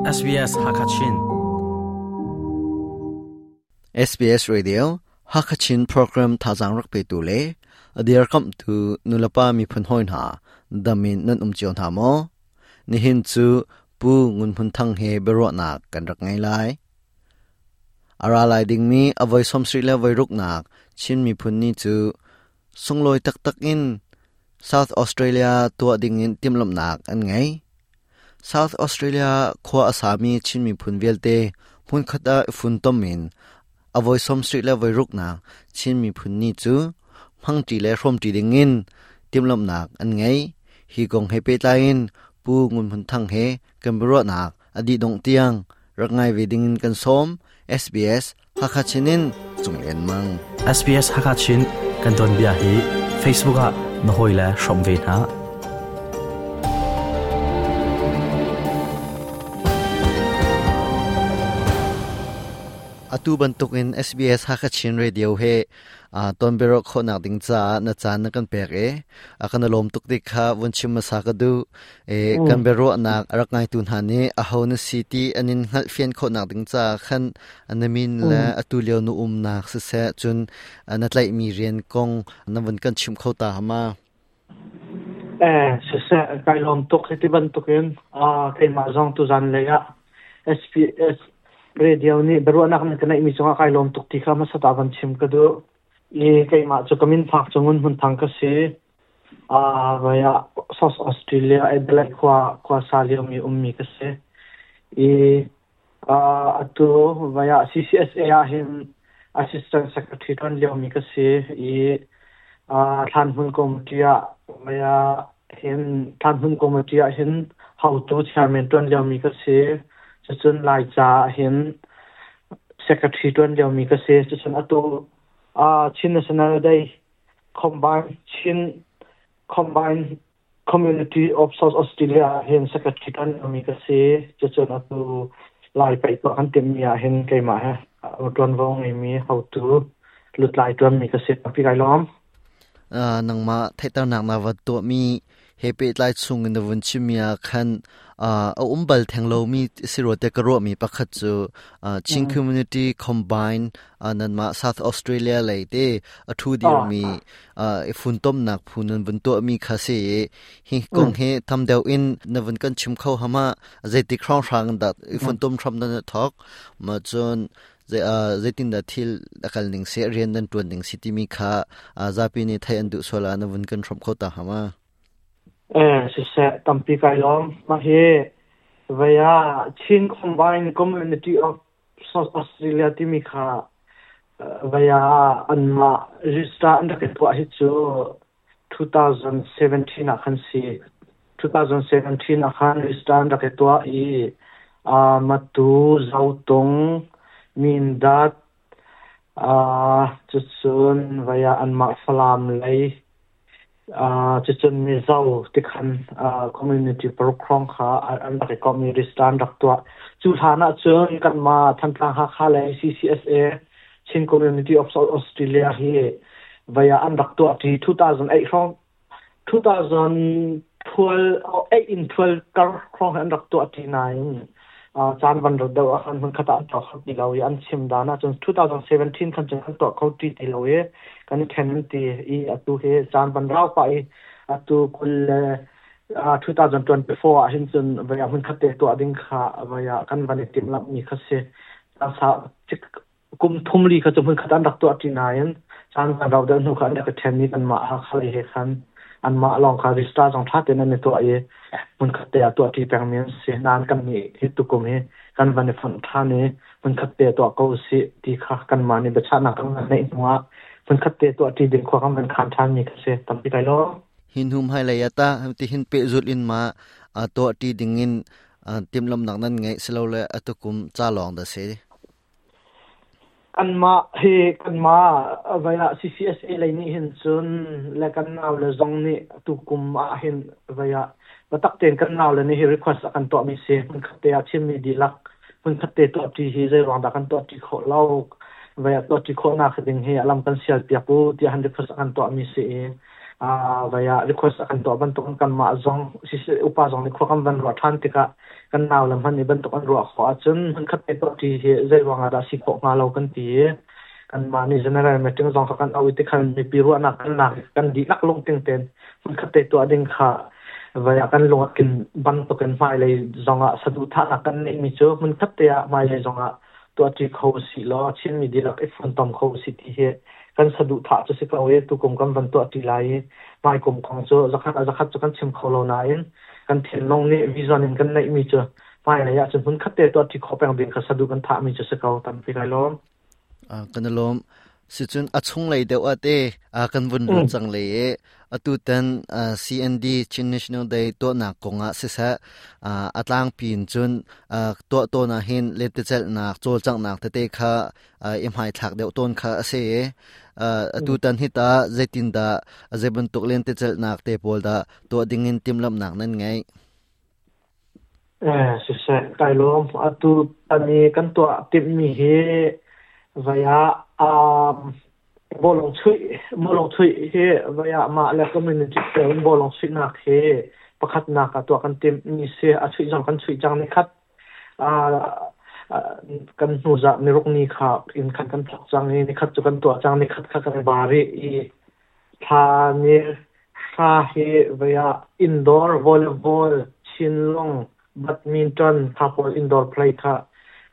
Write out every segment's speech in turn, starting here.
SBS Hakachin. SBS Radio Hakachin program thazang rak pe tu le adir kam tu nulapa mi phun hoi hna damin nan um cio hna maw? Nihin cu Pu Ngun Hmun Thang he biaruahnak kan rak ngei lai. A ra lai dingmi a voi 70 le voi ruknak Chin miphun ni cu sunglawi taktak in South Australia tuah dingin timhlamhnak an ngei. South Australia khua a sami Chin miphun vialte hmunkhat ah i funtom in a voi 70 le voi ruknak Chin miphun ni cu hmangṭi le hrawmṭi dingin timhlamhnak an ngei. Hi kong he pehtlai in Pu Ngun Hmun Thang he kan biaruahnak a dih dongh tiang rak ngai ve dingin kan sawm. SBS Hakha Chin in Cung Lian Mang. SBS Hakha Chin kan don bia hi Facebook ah na hawi le hrawm ve hna. Atu bantukin SBS Hakha Chin Radio he ton biaruah khawhnak ding caah na caan na kan pek i a kan lawm tuk ti kha vun chim hmasa ka duh. E, kan biaruahnak a rak ngaitu hna nih aho na si ti an in hngalhfian khawhnak ding caah khan na min le atu lio na umnak siseh cun na tlaihmi rian kong na vun kan chim kho ta hama? Siseh, kai lawm tuk hiti bantukin keimah zong tuzan lei ah SPS radio nih biaruahnak nan ka neihmi cungah kai lawm tuk ti kha hmasa ta van chim ka duh. I keimah cu ka min phak cu Ngun Hmun Thang ka si. Vai ah South Australia Adelaide khua khua sa liomi ummi ka si. I Atu vai ah CCSA ah hin Assistant Secretary ṭuan liomi ka si i Thlanhmun Committee ah vai ah hin Thlanhmun Committee ah hin hotu chairman ṭuan liomi ka si. Cucun Laica ah hin Secretary ṭuan liomi ka si. Cucun atu Chin National Day Combine Chin Combine Community of South Australia ah hin secretary kan mi ka si. Cucun atu Lai paih tuah kan timhmi ah hin keimah he ṭuanvo ngeimi hotu lutlai ṭuanmi ka si. Tampi kai lawm. Nangmah theihternak na va tuahmi he pehtlai chung in na vun chimmi ah khan a um bal theng lomi si rua te ka ruahmi pakhat cu Chin Community Combine nanmah South Australia lei te a ṭhu dirmi i funtomnak phu nan vun tuahmi kha si i hi kong hi tam deuh in na vun kan chim kho hama zeitik hrawnghrang dah i funtom hram nan thok ma cun zeitin dah thil a kal ning si rian nan tuan ning si timi kha zapi nih thei an duh sual ah na vun kan hrom kho ta hama Siseh tampi kai lawm mah hi vaya Chin Combined Community of South Australia timi kha vaya anmah register an rak i tuah hi cu 2017 ah khan si. 2017 ah khan register an rak i tuah i Matu, Zotung, Mindat, cucun vaya anmah Falam lei Cucun Mizo tikhan community paruk hrawng kha an rak i komh i register an rak tuah. Cu hlan ahcun kanmah Thantlang Hakha le CCSA Chin Community of South Australia hi vei ah an rak tuah ṭi. 2008 hrawng 2012 8 in 12 kar hrawng hi an rak tuah ṭi nain caan van rat deuh ah khan hmunkhat ah an tuah kho ti lo i an chim dan ahcun 2017 khan cun an tuah kho ti ti lo i kan i ṭhen an ti i atu hi caan van rau pah i atu kul le 2024 ah hin cun vei ah hmunkhat te tuah ding kha vei ah kan van i timhlamh mi kha si. Kum thum li kha cu hmunkhat an rak tuah ṭi nain caan kan rauh deuh hnu kha an rak i ṭhen i kanmah Hakha lei he khan anmah lawng kha register zong ṭha tein an i tuah i hmunkhat te ah tuah ṭi pengmi an si. Nain kannih hi tukum hi kan van i fonh ṭhan i hmunkhat te tuah ko usih ti kha kanmah nih biachahnak kan van neih hnu ah hmunkhat te tuah ṭi ding khua kan van khaan ṭhanmi kha si. Tampi kai lawm. Hi hnu hmailei ah tah tihin pehzulh in ma tuah ṭi ding in timhlamhnak nan ngeih silole atukum ca lawng dah si? Kanmah hi kanmah vai ah CCSA lei nih hin cun le kan naule zong nih tukum ah hin vai ah biatak tein kan naule nih hi request a kan tuahmi si. Hmunkhat te ah Chinmi dihlak hmunkhat te tuahṭi hi zeiruang dah kan tuahṭi khawh lo, vai ah tuahṭi khawhnak ding hi a lam kan sialpiak u tiah han request a kan tuahmi si i. Vaya request a kan tuah bantuk in kanmah zong upa zong nih khua kan van ruah ṭhan tikah kan nau le hmanh nih bantuk an ruah khawh ahcun hmunkhat te tuah ṭi hi zei ruang ah dah si khawh hnga lo kan ti i kanmah nih general meeting zong kha kan auh i tikhan mipi ruahnak kan lak i kan dihlak lungtling tein hmunkhat te tuah ding kha vaya kan lung a kin bantukin hmailei zongah saduhthahnak kan neihmi cu hmunkhat te ah hmailei zongah tuahṭi kho usih law Chinmi dihlak i funtom kho usih ti hi kan saduhthah cu si ko i tukum kan van tuahṭi lai i hmaikum kong cu zakhat ah zakhat cu kan chim kho lo nain kan thinlung nih vision in kan neihmi cu hmailei ah cun hmunkhat te tuahṭi khawh peng ding kha saduh kan thahmi cu si ko. Tampi kai lawm. Kan i lawm. Sicun a chunglei deuh ah te kan vun lut cang le i atutan CND Chin National Day tuahnak kong ah siseh a tlangpi in cun tuah tawn ah hin lentecelhnak cawlcanghnak tete kha i hmaithlak deuh tawn kha a si i atutan hi ta zeitindah zei bantuk lentecelhnak te pawl dah tuah ding in timhlamhnak nan ngeih? Siseh, kai lawm. Atu tan i kan tuah timhmi hi vai ah bawlung chuih, bawlung chuih hi vai ah mah le community cio in bawlung chuihnak hi pakhatnak ah tuah kan timhmi si. A chuih zong kan chuih cang nikhat. Kan hnu zarh niruk ni kha in khan kan thawk cang i nikhat cu kan tuah cang, nikhat kha kan i bar rih i Thla ni hra hi vei ah indoor volleyball, chinlung, badminton kha pawl indoor play kha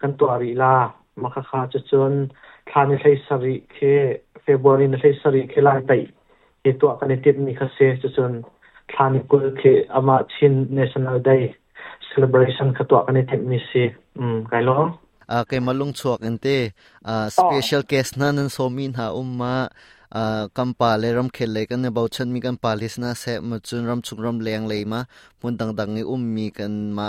kan tuah rih la. Mah khakha cucun thla ni 17 khi February ni 17 khi Laipaih hi tuah kan i timhmi kha si. Cucun thla ni 20 khi amah Chin National Day celebration kha tuah kan i timhmi si. Kai lawm. Keimah lungchuak in te special guest hna nan sawmi hna um ma kan pa le ramkhel lei kan i bochanmi kan pa le sina seh ma cun ramchung ram leng lei ma hmun dangdang i ummi kan ma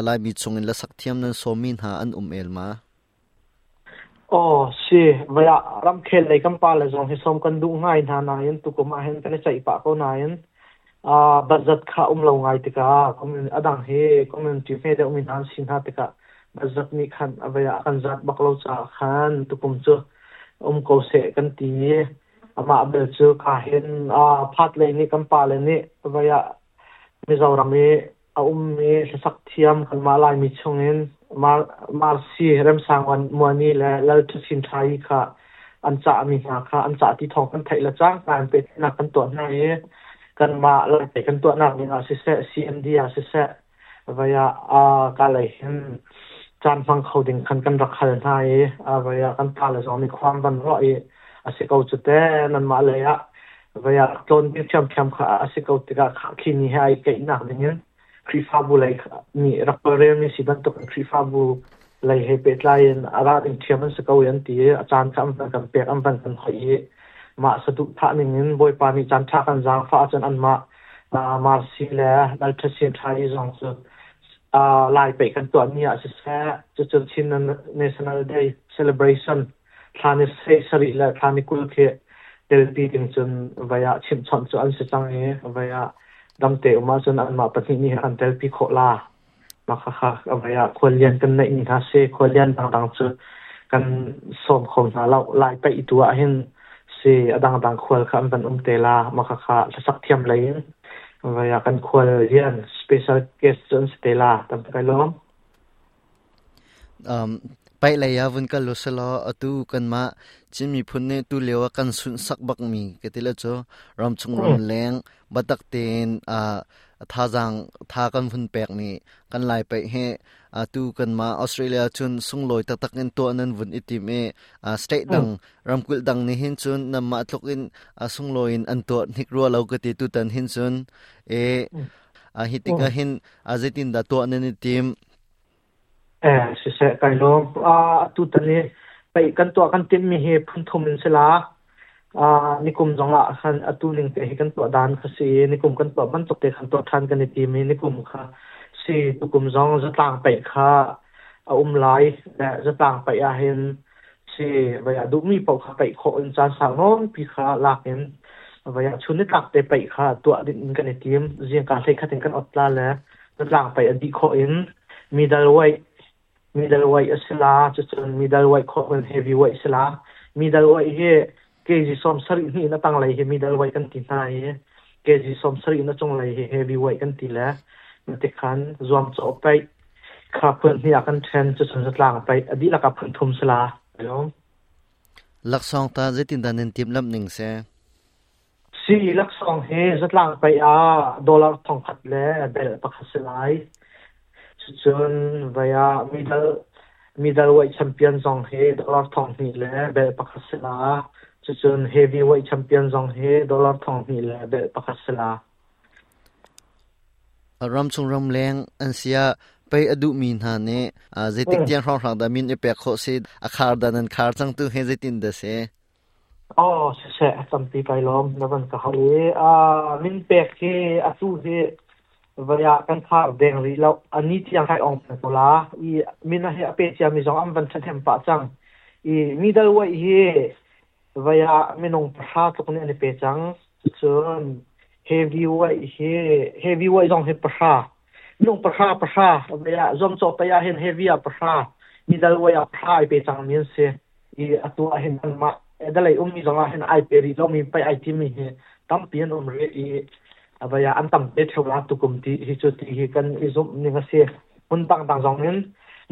Laimi chung in lasak thiam nan sawmi hna an um el ma? Aw, si. Voi ah ramkhel lei kan pale zong hi sawm kan duh ngai hna nain tukum ah hin kan i ceih pah ko nain budget kha um lo ngai tikah a dang hi community hme deuhmi hna an si hna tikah budget nih khan a vei ah a kan zat bak lo caah khan tukum cu um ko seh kan ti i amah bel cu ka hin phat lei nih kan pale nih vei ah Mizoram i a ummi hlasak thiam kanmah Laimi chungin Marcy Remsang Muani le Lal Ṭha Chin Ṭha kha an cahmi hna kha an cah ti thawng kan theih le cangka in pehtlaihnak kan tuah hna i kanmah Laitlei kan tuahnak ding ah siseh, CMD ah siseh, vai ah kalei hin caan hmang kho ding khan kan rak hal hna i vai ah kan pale zong nih khua an van ruah i a si ko cu te nanmah lei ah Vai ah tlawn ding ṭhiamṭhiam kha a si ko tikah khi ni he ai keihnak dingin Khrihfabu lei nih rak tawlrelmi si bantukin Khrihfabu lei he pehtlai in a ra ding ṭhiam an si ko i an ti i a caan kha an van kan pek, an van kan hoih i mah saduhthah ningin Bawipa nih caan ṭha kan zaangfah ahcun anmah Marcy le Lalṭha Sin Ṭha i zong cu Lai paih kan tuahmi ah siseh, cucun Chin National Day celebration thla ni 17 le thla ni 20 khi telpi ding cun vai ah chimhchawnh cu an si cang i vai ah damte um ahcun anmah pahnih nih an telpi khawh la. Mah khakha vai ah khuallian kan neih mi hna si. Khuallian dangdang cu kan sawm kho hna lo. Lai paih tu ah hin si a dangdang khual kha an van um te la. Mah khakha hlasak thiam lei in vai ah kan khuallian special guest cu an si te la. Tam kai lawm. Paih lei ah vun kal usalaw atu kanmah Chin miphun nih tulio ah kan sunhsak bakmi ka ti le cu ramchung ramleng biatak tein thazaang tha kan vun pekmi kan Lai paih hi atu kanmah Australia cun sunglawi taktak in tuah nan vun i tim i state dang ramkulh dang nih hin cun nanmah tluk in sunglawi in an tuah hnik rua lo ka ti tutan hin cun hi tikah hin zeitindah tuah nan i tim? Siseh, kai lawm. Atutan hi paih kan tuah kan timhmi hi phunthum in si la. Nikum zongah khan atu ning te hi kan tuah dan kha si i nikum kan tuah bantuk te khan tuah ṭhan kan i tim i nikum kha si tukum zong zatlang paih kha a um lai. Le zatlang paih ahhin si vai ah duhmi paoh kha paih khawh in caan sau nawnpi kha lak in vai ah chun nitlak te paih kha tuah ding in kan i tim. Zingka 11 in kan ot la le zatlang paih a dih khawh in middleweight middleweight a si la, cucun middleweight khawh in heavyweight si la. Middleweight hi Kg 72 in a tanglei hi middleweight kan ti hna i kg 70 in a cunglei hi heavyweight kan ti le tikhan zuamcawh paih kha phun hnih ah kan ṭhen. Cucun zatlang paih a dihlak ah phun thum si la. Laksawng ta zeitindah nan timhlamh ning si? Si, laksawng hi zatlang paih ah dollar 1000 le bel pakhat si lai. Cucun vai ah middleweight champion zong hi dollar 2000 le bel pakhat si la. Cucun heavyweight champion zong hi dollar 2000 le bel pakhat si la. Ramchung ramleng an si ah pei a duhmi hna nih zeitik tiang hrawnghrang dah min i pek khawh si? A khar dah nan khar cang tu hi zeitin dah si? Aw, siseh, tampi kai lawm na van ka hal i min pek hi atu hi vei ah kan khar deng rih lo. A ni tiang kai ong peng ko la. I min hi a pe ciami zong an van ṭhahnem pah cang. I middleweight hi vei ah minung 10 tluk nih an i pe cang. Cun heavyweight hi heavyweight zong hi 10. Minung 10 10 vei ah zuamcawh pei ah hin heavy ah 10, middleweight ah 10 ai pe cangmi an si. I atu ah hin anmah Adelaide ummi zong ah hin ai pe rih lomi pei ai timi hi tampi an um rih i avai ah an tam te ṭheo la tukum ti hi cu ti hi kan i zumh ning a si. Hmun dangdang zong in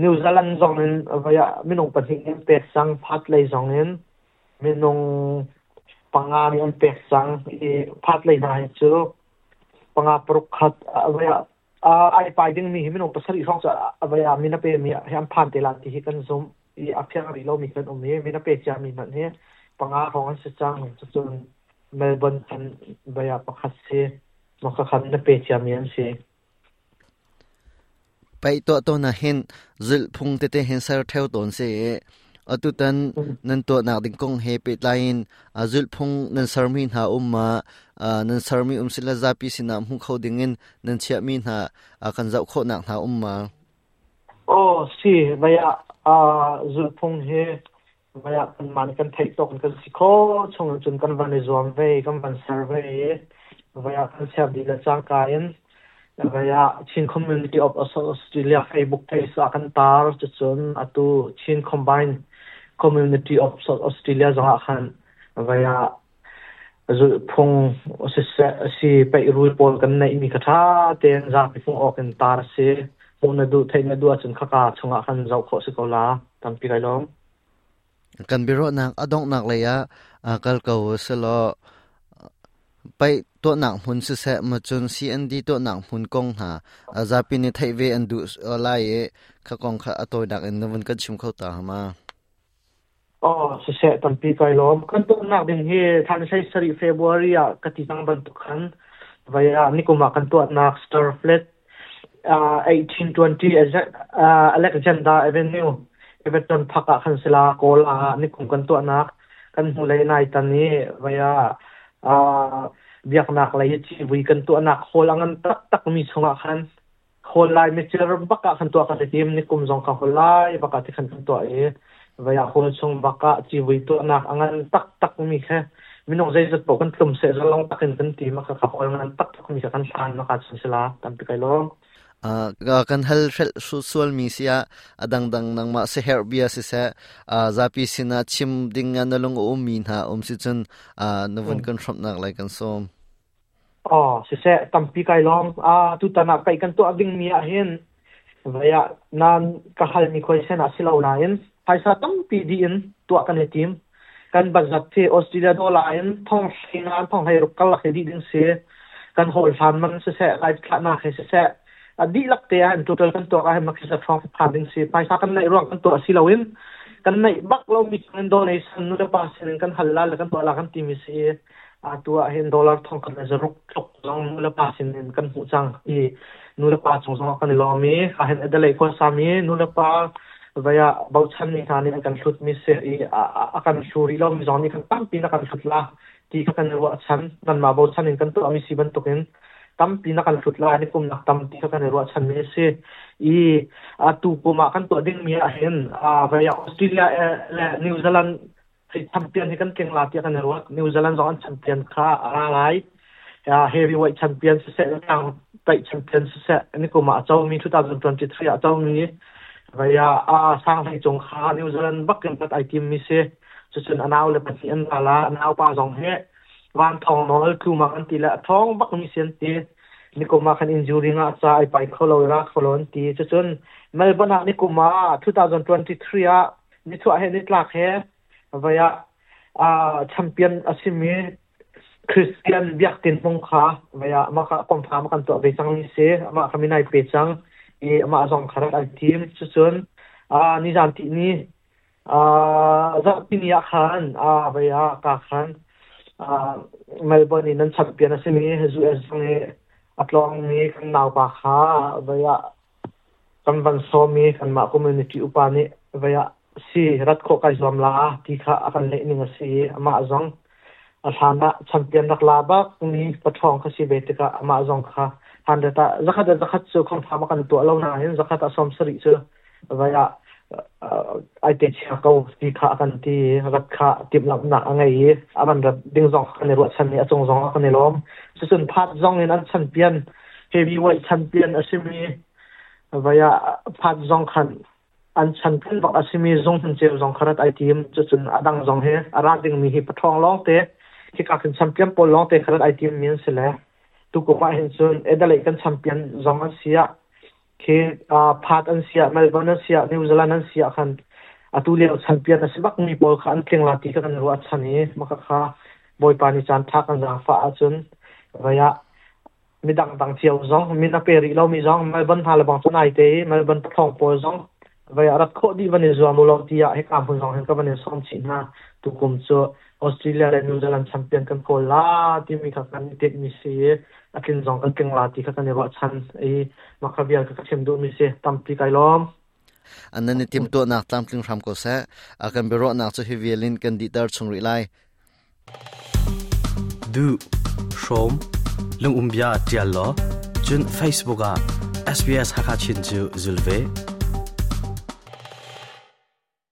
New Zealand zong in avai ah minung pahnih nih an pek cang, Perth lei zong in minung panga nih an pek cang i Perth lei hna hi cu panga paruk khat avai ah ai pai dingmi hi minung 7 hrawng cu avai ah min a pemi hi an phan te la ti hi kan zumh. I a fiang rih lomi kan um i min a pe ciami hmanh hi panga hrawng an si cang. Cucun Melbourne khan vei ah pakhat si. Maka khan na pe ciami an si. Paih tuah tawn ah hin zulhphung tete hin ser theo tawn si i atutan nan tuahnak ding kong he pehtlai in zulhphung nan sermi hna um ma, nan sermi um sila zapi sinah hmu kho ding in nan chiahmi hna kan zoh khawhnak hna um ma? Aw si, vei ah zulhphung hi vei ah kanmah nih kan theih tawk in kan si khawh chung cun kan van i zuam ve i kan van ser ve i vei ah kan ser dih le cangka in vei ah Chin Community of Australia Facebook page ah kan tar. Cucun atu Chin Combined Community of Australia zong ah khan vei ah Zulhphung siseh si peih-rul pawl kan neihmi kha ṭha tein zapi hmuh awk in tar a si. Hmuh na duh, theih na duh ahcun khaka chungah khan zoh khawh si ko la. Tampi kai lawm. Kan biaruahnak a donghnak lei ah kal ko selaw paih tuahnak hmun siseh macun CND tuahnak hmun kong hna zapi nih theih ve an duh lai i kha kong kha a tawinak in na vun kan chim kho ta ma? Aw, siseh, tampi kai lawm. Kan tuahnak ding hi thla ni 17 February ah ka ti cang bantuk khan vai ah nikum ah kan tuahnak Starfleet 1820 Alexander Avenue, Everton Park ah khan sila Kawl ah nikum kan tuahnak kan hnulei nai tan i vai ah biaknak lei civui kan tuahnak hall a ngan taktak mi chungah khan Hawl lai mitsir bak ah khan tuah kan i tim. Nikum zong ka hawl lai bak ah tikhan kan tuah i vei ah hawl chung bak ah civui tuahnak a ngan taktak mi kha minung zeizat paoh kan tlum seh zalong tak in kan ti ma kha hawl ngan taktak mi kha kan hlan ma ka cun sila tampi kai lawm. Kan hal hrelh sual mi si ah a dangdang nangmah siherh bia siseh, zapi sinah chim ding ah na lung a um mi hna um si cun na vun kan hrawmhnak lai kan sawm. Aw, siseh, tampi kai lawm. Tutan ah paih kan tuah dingmi ahhin vei ah nan ka halmi khuaisen ah si lo nain phaisa tampi dih in tuah kan i tim. Kan budget hi Australia dollar in thong 15 thong 16 karlak hi dih ding si. Kan hawl hlan man siseh, live thlahnak hi siseh, a dihlak te ah in total kan tuak ah hin makhi hrawng phan ding si. Phaisa kan neih ruang kan tuah si loin kan neih bak lomi chungin donation nu le pa sin in kan hal la le kan tuah la kan timi si. Atu ah hin dollar 1600 tluk zong nulepa sin in kan hmuh cang i nulepa cung zong ah kan i lawm i ahhin Adelaide khuasami nulepa vei ah bochanmi hna nih an kan hlutmi si i a kan hlu rih lomi zong nih kan tampi na kan hlut la ti kha kan i ruahchan. Nanmah bochan in kan tuahmi si bantukin tampi na kan hlut lai, ni kumnak tam ti kha kan i ruahchanmi a si. I atu kum ah kan tuah dingmi ah hin vei ah Australia le New Zealand champion hi kan tling la tiah kan i ruat. New Zealand zong an champion kha a ra lai. Heavyweight champion siseh, tlang paih champion siseh, ni kum ah a comi 2023 ah a comi vaya a sang hlei cung kha New Zealand bak in pat ai tim mi si. Cucun a nau le pahnih an ra la. A naupa zong hi van thong nawl tlumak an ti le a thong bak mi si an ti. Nikum ah khan injury ngah ca ai pai kho lo i ra kho lo an ti. Cucun Melbourne ah nikum ah 2023 ah nichuah he nitlak he vai ah champion a simi Christian Biak Tin Hmung kha vai ah mah kha confirm kan tuah ve cang mi si. Amah kha minai pe cang i amah zong kha rat ai tim. Cucun nizan ti ni Zarhpini ah khan vai ah ka khan Melbourne in an champion a simi US zong i a tlawngmi kan naupa kha vai ah kan van sawm i kanmah community upa nih vai ah si rat khawh kai zuam la ti kha a kan leh ning a si i amah zong a hlan ah champion rak la bak mi paṭhawng kha si ve tikah amah zong kha 100 ah zakhat ah zakhat cu confirm a kan tuah lo nain zakhat ah 70 cu vai ah ai te chia ko ti kha a kan ti i rat kha timhlamhnak a ngei i a van rat ding zong kan i ruahchan i a cung zong ah kan i lawm. Cucun phat zong in an champion heavyweight champion a simi vai ah phat zong khan an champion bak a simi zung hmun ceu zong kha rat ai tim. Cucun a dang zong hi a ra dingmi hi paṭhawng lawngte hika khin champion pawl lawngte kha rat ai tim mi an si le tukum ah hin cun Adelaide kan champion zong an si ah khi Perth an si ah Melbourne an si ah New Zealand an si ah khan atu lio champion a si bak mi pawl kha an tling la ti kha kan ruah chan i maka kha Bawipa nih caan tha kan zaangfah ahcun vai ah midang dang cio zong min a pe rih lomi zong Melbourne hna le bang cu nai te i Melbourne pathawng pawl zong vai ah rat khawh dih van i zuam u law tiah hika hmun zong hin ka van in sawm chih hna. Tukum cu Australia le New Zealand champion kan kawl la timi kha kan i tinh mi si i a tlin zong kan tling la ti kha kan i ruahchan i mah kha vial kha ka chim duhmi si. Tampi kai lawm. An nan i timtuahnak tlamtling hram ko seh. A kan biaruahnak cu hi vial in kan dihter chung rih lai. Duh, hrawm, lungum bia tial law, cun Facebook ah SBS Hakha Chin cu zul ve.